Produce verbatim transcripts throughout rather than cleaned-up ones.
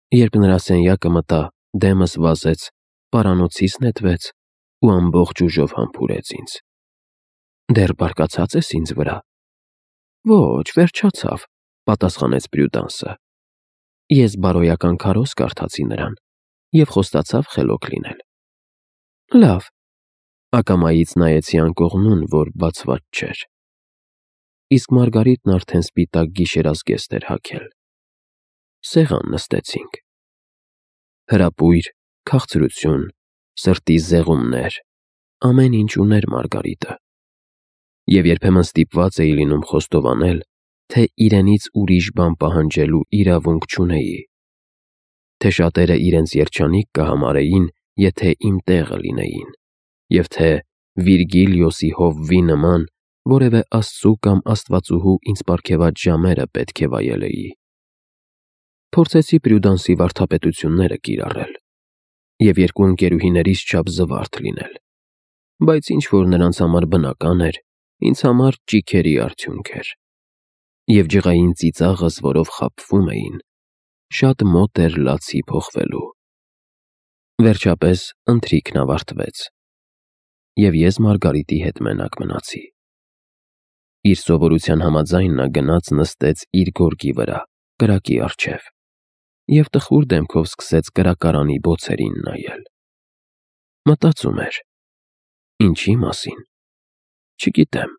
Երբ նրա սենյակը մտա, դեմս վազեց, պարանոցից նետվեց ու ամբողջ ուժով համբուրեց ինձ։ Դեռ բարկացած ես ինձ վրա։ Ոչ, վերջացավ, պատասխանեց Պրյուդանսը։ Ես բարոյական քարոզ կարդացի նրան և խոստացավ խելոք լինել։ Լավ, ակամայից նայեցի անկողնուն, որ բացված չէր։ Իսկ Մարգարիտն արդեն սպիտակ գիշերազգեստ էր հագել։ Սեղան նստեցինք։ Հրապույր, քաղցրություն, սրտի զեղումներ, ամեն ինչ ուներ Մարգարիտը։ Եվ երբեմն ստիպված էի լինում խոստովանել, թե իրենից ուրիշ բան պահանջելու իրավունք չունեի, թե շատերը իրենց երջանիկ կհամարեին, եթե իմ տեղը լինեին, և թե Վիրգիլիոսի հովվի նման որևէ աստծու կամ աստվածուհու ինձ պարգևած ժամերը պետք է վայելեի։ Փորձեցի Պրյուդանսի վարդապետությունները կիրառել և երկու ընկերուհիներիս չափ զվարթ լինել, բայց ինչ որ նրանց համար բնական էր, ինձ համար ճիգերի արդյունք էր, և ջղային ծիծաղս, որով խաբվում էին, շատ մոտ էր լացի փոխվելու։ Վերջապես ընթրիքն ավարտվեց, և ես Մարգարիտի հետ մենակ մնացի։ Իր սովորության համաձայն նա գնաց նստեց իր գորգի վրա, կրակի առջև, և տխուր դեմքով սկսեց կրակարանի բոցերին նայել։ Մտածում էր. ինչի մասին, չգիտեմ։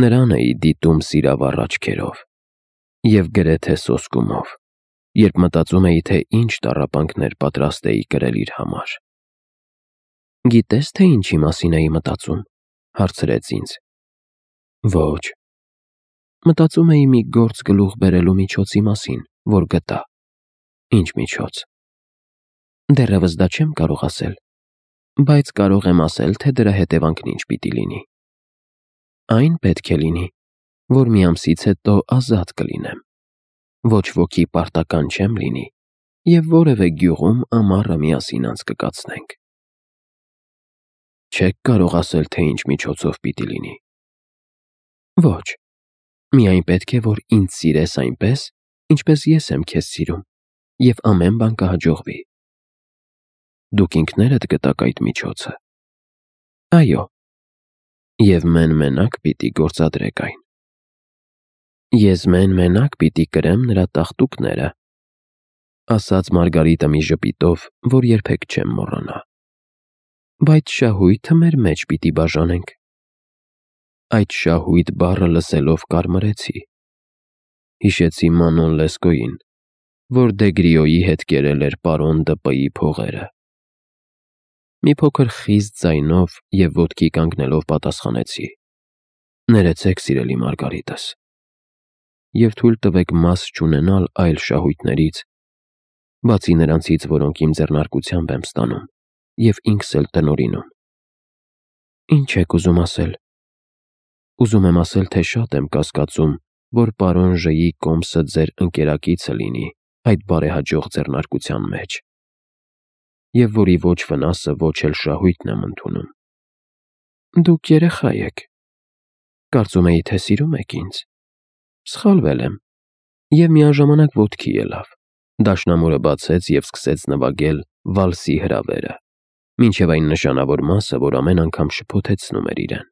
Նրան էի դիտում սիրավառ աչքերով և գրեթե սոսկումով, երբ մտածում էի, թե ինչ տառապանքներ պատրաստ էի կրել իր համար։ Գիտե՞ս, թե ինչի մասին էի մտածում, հարցրեց ինձ։ Ոչ։ Մտածում էի մի գործ գլուխ բերելու միջոցի մասին, որ գտա։ Ինչ միջոց։ Դեռևս դա չեմ կարող ասել, բայց կարող եմ ասել, թե դրա հետևանքն ինչ պիտի լինի։ Այն պետք է լինի, որ մի ամսից հետո ազատ կլինեմ, ոչ ոքի պարտական չեմ լինի և որևէ գյուղում ամառը միասին անցկացնենք։ Չեք կարող ասել, թե ինչ միջոցով պիտի լինի։ Ոչ, միայն պետք է, որ ինձ սիրես այնպես, ինչպես ես եմ քեզ սիրում, և ամեն բան կհաջողվի։ Դուք ինքներդ գտաք այդ միջոցը։ Այո։ Եվ մեն-մենակ պիտի գործադրեք այն։ Ես մեն-մենակ պիտի կրեմ նրա տաղտուկները, ասաց Մարգարիտը մի ժպիտով, որ երբեք չեմ մոռանա։ Բայց շահույթը մեր մեջ պիտի բաժանենք։ Այդ շահույթ բառը լսելով կարմրեցի։ Հիշեցի Մանոն Լեսկոյին, որ Դեգրիոյի հետ կերել էր պարոն Դ.Պ.-ի փողերը։ Մի փոքր խիստ ձայնով և ոտքի կանգնելով պատասխանեցի. Ներեցեք, սիրելի Մարգարիտս, և թույլ տվեք մաս չունենալ այլ շահույթներից, բացի նրանցից, որոնք իմ ձեռնարկությամբ եմ ստանում և ինքս էլ տնօրինում։ Ինչ եք ուզում ասել։ Ուզում եմ ասել, թե շատ եմ կասկածում, որ պարոն Ժ.-ի կոմսը ձեր ընկերակիցը լինի այդ բարեհաջող ձեռնարկության մեջ, և որի ոչ վնասը, ոչ էլ շահույթն եմ ընդունում։ Դուք երեխա եք։ Կարծում էի, թե սիրում եք ինձ։ Սխալվել եմ, և միաժամանակ ոտքի ելավ։ Դաշնամուրը բացեց և սկսեց նվագել վալսի հրավերը, մինչև այն նշանավոր մասը, որ ամեն անգամ շփոթեցնում էր իրեն։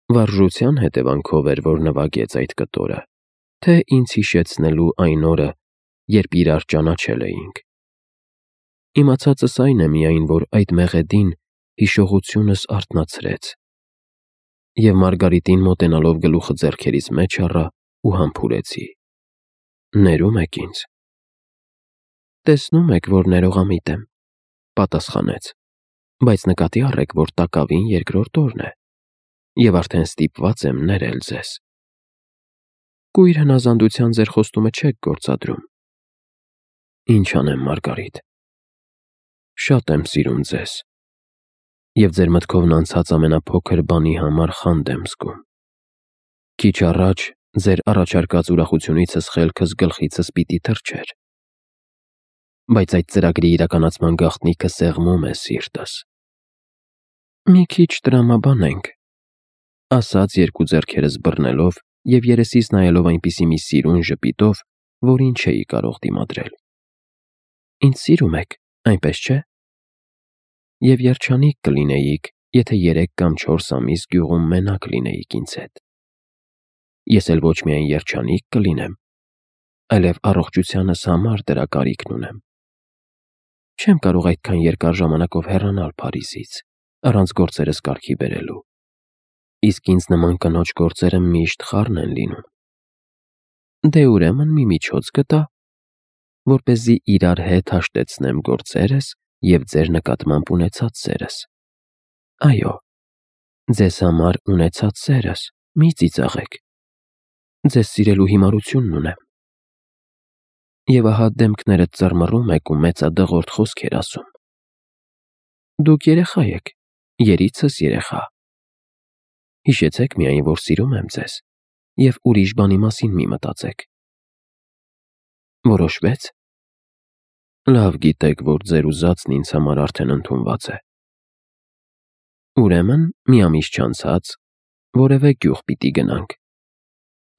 Վարժության հետևանքով էր, որ նվագեց այդ կտորը, թե ինձ հիշեցնելու այն օրը, երբ իրար ճանաչել էինք։ Իմացածս այն է միայն, որ այդ մեղեդին հիշողությունս արթնացրեց, և Մարգարիտին մոտենալով գլուխը ձեռքերիս մեջ առա ու համբուրեցի. Ներում եք ինձ։ Տեսնում եք, որ ներողամիտ եմ, պատասխանեց, բայց նկատի առեք, որ տակավին երկրորդ օրն է, և արդեն ստիպված եմ ներել ձեզ։ Կույր հնազանդության ձեր խոստումը չեք գործադրում։ Ինչ անեմ, Մարգարիտ։ Շատ եմ սիրում ձեզ, և ձեր մտքովն անցած ամենափոքր բանի համար խանդ եմ զգում։ Քիչ առաջ ձեր առաջարկած ուրախությունիցս խելքս գլխիցս պիտի թռչեր, բայց այդ ծրագրի իրականացման գաղտնիքը սեղմում է սիրտս։ Մի քիչ տրամաբանենք, ասաց երկու ձեռքերս բռնելով և երեսիս նայելով այնպիսի մի սիրուն ժպիտով, որին չէի կարող դիմադրել։ Ինձ սիրում եք, այնպես չէ՞։ Եվ երջանիկ կլինեիք, եթե երեք կամ չորս ամիս գյուղում մենակ լինեիք ինձ հետ։ Ես էլ ոչ միայն երջանիկ կլինեմ, այլև առողջությանս համար դրա կարիքն ունեմ։ Չեմ կարող այդքան երկար ժամանակով հեռանալ Փարիզից, առանց գործերս կարգի բերելու։ Իսկ ինձ նման կնոջ գործերը միշտ խառն են լինում։ Դե ուրեմն մի միջոց գտա, որպեսզի իրար հետ հաշտեցնեմ գործերս և ձեր նկատմամբ ունեցած սերս։ Այո, ձեզ համար ունեցած սերս, մի ծիծաղեք։ Ձեզ սիրելու հիմարությունն ունեմ։ Եվ ահա դեմքներդ ծռմռում եք ու մեծադղորդ խոսքեր ասում։ Դուք երեխա եք, երիցս երեխա։ Հիշեցեք միայն, որ սիրում եմ ձեզ, և ուրիշ բանի մասին մի մտածեք։ Որոշվե՞ց։ Լավ գիտեք, որ ձեր ուզածն ինձ համար արդեն ընդունված է։ Ուրեմն մի ամիս չանցած որևէ գյուղ պիտի գնանք։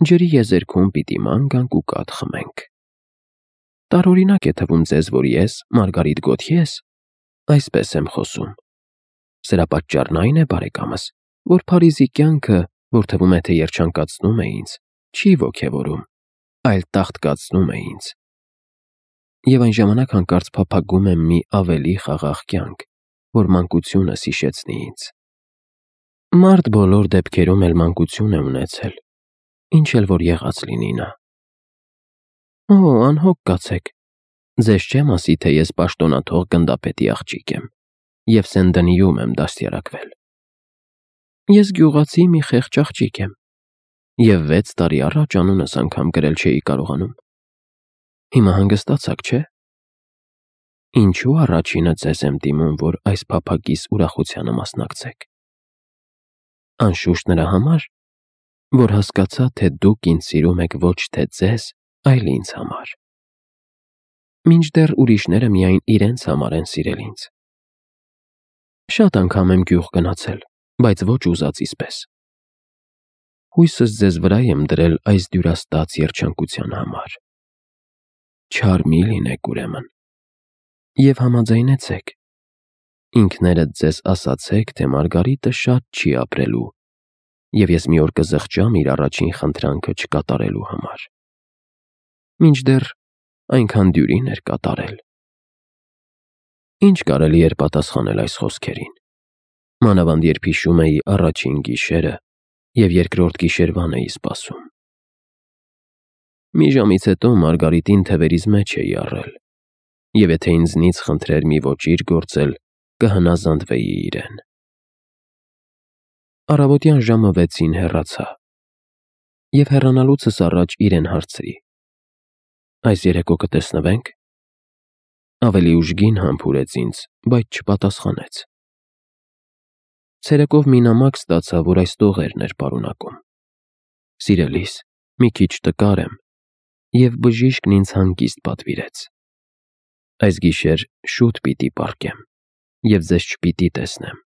Ջրի եզերքում պիտի ման գանք ու կաթ խմենք։ Տարօրինակ է թվում ձեզ, որ ես, Մարգարիտ Գոթյես, այսպես եմ խոսում։ Սրա պատճառն այն է, բարեկամս, որ Փարիզի կյանքը, որ թվում է, թե երջանկացնում է ինձ, չի ոգևորում, այլ տաղտկացնում է ինձ։ Եվ այն ժամանակ հանկարծ փափագում եմ մի ավելի խաղաղ կյանք, որ մանկությունս հիշեցնի ինձ։ Մարդ բոլոր դեպքերում էլ մանկություն է ունեցել, ինչ էլ որ եղած լինի նա։ Օ, անհոգ կացեք, ձեզ չեմ ասի, թե ես պաշտոնաթող գնդապետի աղջիկ եմ և Սեն-Դենիում եմ դաստիարակվել։ Ես գյուղացի մի խեղճ աղջիկ եմ և վեց տարի առաջ անունս անգամ գրել չէի կարողանում։ Հիմա հանգստացաք, չէ՞։ Ինչու առաջինը ձեզ եմ դիմում, որ այս փափագիս ուրախությանը մասնակցեք։ Անշուշտ նրա համար, որ հասկացա, թե դուք ինձ սիրում եք ոչ թե ձեզ, այլ ինձ համար։ Մինչդեռ ուրիշները միայն իրենց համար են սիրել ինձ։ Շատ անգամ եմ գյուղ գնացել, բայց ոչ ուզածիս պես։ Հույսս ձեզ վրա եմ դրել այս դյուրաստաց երջանկության համար։ Չար մի լինեք ուրեմն։ Եվ համաձայնեցեք։ Ինքներդ ձեզ ասացեք, թե Մարգարիտը շատ չի ապրելու, և ես մի օր կզղջամ իր առաջին խնդրանքը չկատարելու համար։ Մինչդեռ այնքան դյուրին էր կատարել։ Ինչ կարելի էր պատասխանել այս խոսքերին, մանավանդ երբ հիշում էի առաջին գիշերը և երկրորդ գիշերվան էի սպասում։ Մի ժամից հետո Մարգարիտին թևերիս մեջ էի առել, և եթե ինձնից խնդրեր մի ոճիր գործել, կհնազանդվեի իրեն։ Առավոտյան ժամը վեցին հեռացա, և հեռանալուցս առաջ իրեն հարցրի. Այս երեկո կտեսնվե՞նք։ Ավելի ուժգին համբուրեց ինձ, բայց չպատասխանեց։ Ցերեկով մի նամակ ստացա, որ այս տողերն էր պարունակում. Սիրելիս, մի քիչ տկար եմ, և բժիշկն ինձ հանգիստ պատվիրեց։ Այս գիշեր շուտ պիտի պառկեմ, և ձեզ չպիտի տեսնեմ,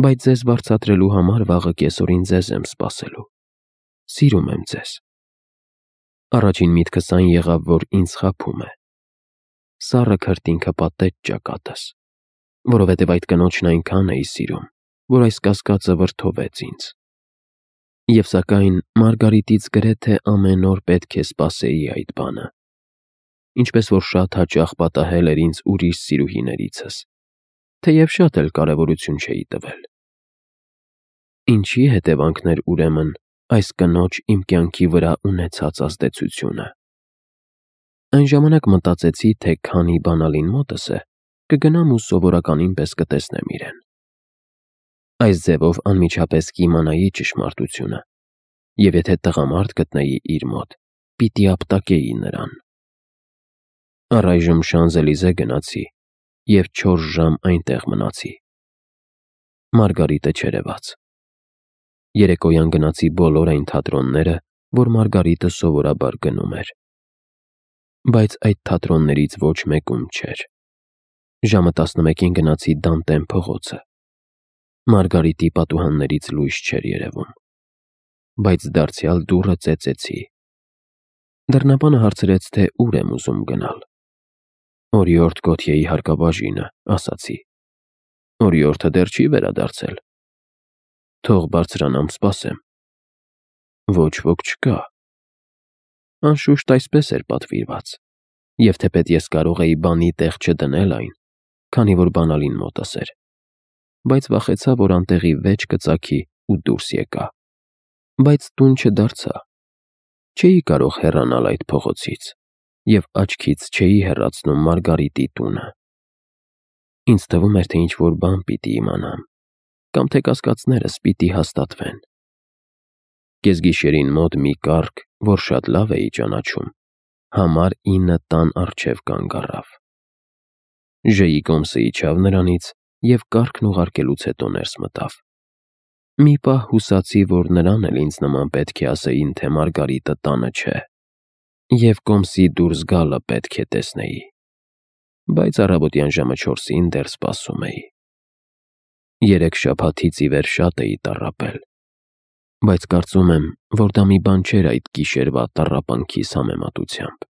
բայց ձեզ վարձատրելու համար վաղը կեսօրին ձեզ եմ սպասելու։ Սիրում եմ ձեզ։ Առաջին միտքս այն եղավ, որ ինձ խաբում է։ Սառը քրտինքը պատեց ճակատս, որովհետև այդ կնոջն այնքան էի սիրում, որ այս կասկածը վրդովեց ինձ։ Եվ սակայն Մարգարիտից գրեթե ամեն օր պետք է սպասեի այդ բանը, ինչպես որ շատ հաճախ պատահել էր ինձ ուրիշ սիրուհիներիցս, թեև շատ էլ կարևորություն չէի տվել։ Ինչի հետևանքն էր ուրեմն այս կնոջ իմ կյանքի վրա ունեցած ազդեցությունը։ Այն ժամանակ մտածեցի, թե քանի բանալին մոտս է, կգնամ ու սովորականին պես կտեսնեմ իրեն։ Այս ձևով անմիջապես կիմանայի ճշմարտությունը, և եթե տղամարդ գտնեի իր մոտ, պիտի ապտակեի նրան։ Առայժմ Շանզելիզե գնացի և չորս ժամ այնտեղ մնացի։ Մարգարիտը չերևաց։ Երեկոյան գնացի բոլոր այն թատրոնները, որ Մարգարիտը սովորաբար գնում էր։ Բայց այդ թատրոններից ոչ մեկում չէր։ Ժամը տասնմեկին գնացի Դանտեն փողոցը։ Մարգարիտի պատուհաններից լույս չէր երևում։ Բայց դարձյալ դուռը ծեծեցի։ Դռնապանը հարցրեց, թե ուր եմ ուզում գնալ։ Օրիորդ Գոթյեի հարկաբաժինը, ասացի։ Օրիորդը դեռ չի վերադարձել։ Թող բարձրանամ սպասեմ։ Ոչ ոք չկա։ Անշուշտ այսպես էր պատվիրված, և թեպետ ես կարող էի բանի տեղ չդնել այն, քանի որ բանալին մոտս էր, բայց վախեցա, որ անտեղի վեճ կծագի ու դուրս եկա, բայց տուն չդարձա։ Չէի կարող հեռանալ այդ փողոցից և աչքից չէի հեռացնում Մարգարիտի տունը։ Ինձ թվում էր, թե ինչ-որ բան պիտի իմանամ, կամ թե կասկածներս պիտի հաստատվեն։ Կեսգիշերին մոտ մի կառք, որ շատ լավ էի ճանաչում, համար ինը տան առջև կանգ առավ։ Ժեի կոմսը իջավ նրանից և կառքն ուղարկելուց հետո ներս մտավ։ Մի պահ հուսացի, որ նրան էլ ինձ նման պետք է ասեին, թե Մարգարիտը տանը չէ, և կոմսի դուրս գալը պետք է տեսնեի, բայց առավոտյան ժամը չորսին դեռ սպասում էի։ Երեք շաբաթից ի վեր շատ էի տառապել, բայց կարծում եմ, որ դա մի բան չէր այդ գիշերվա տառապանքիս համեմատությամբ։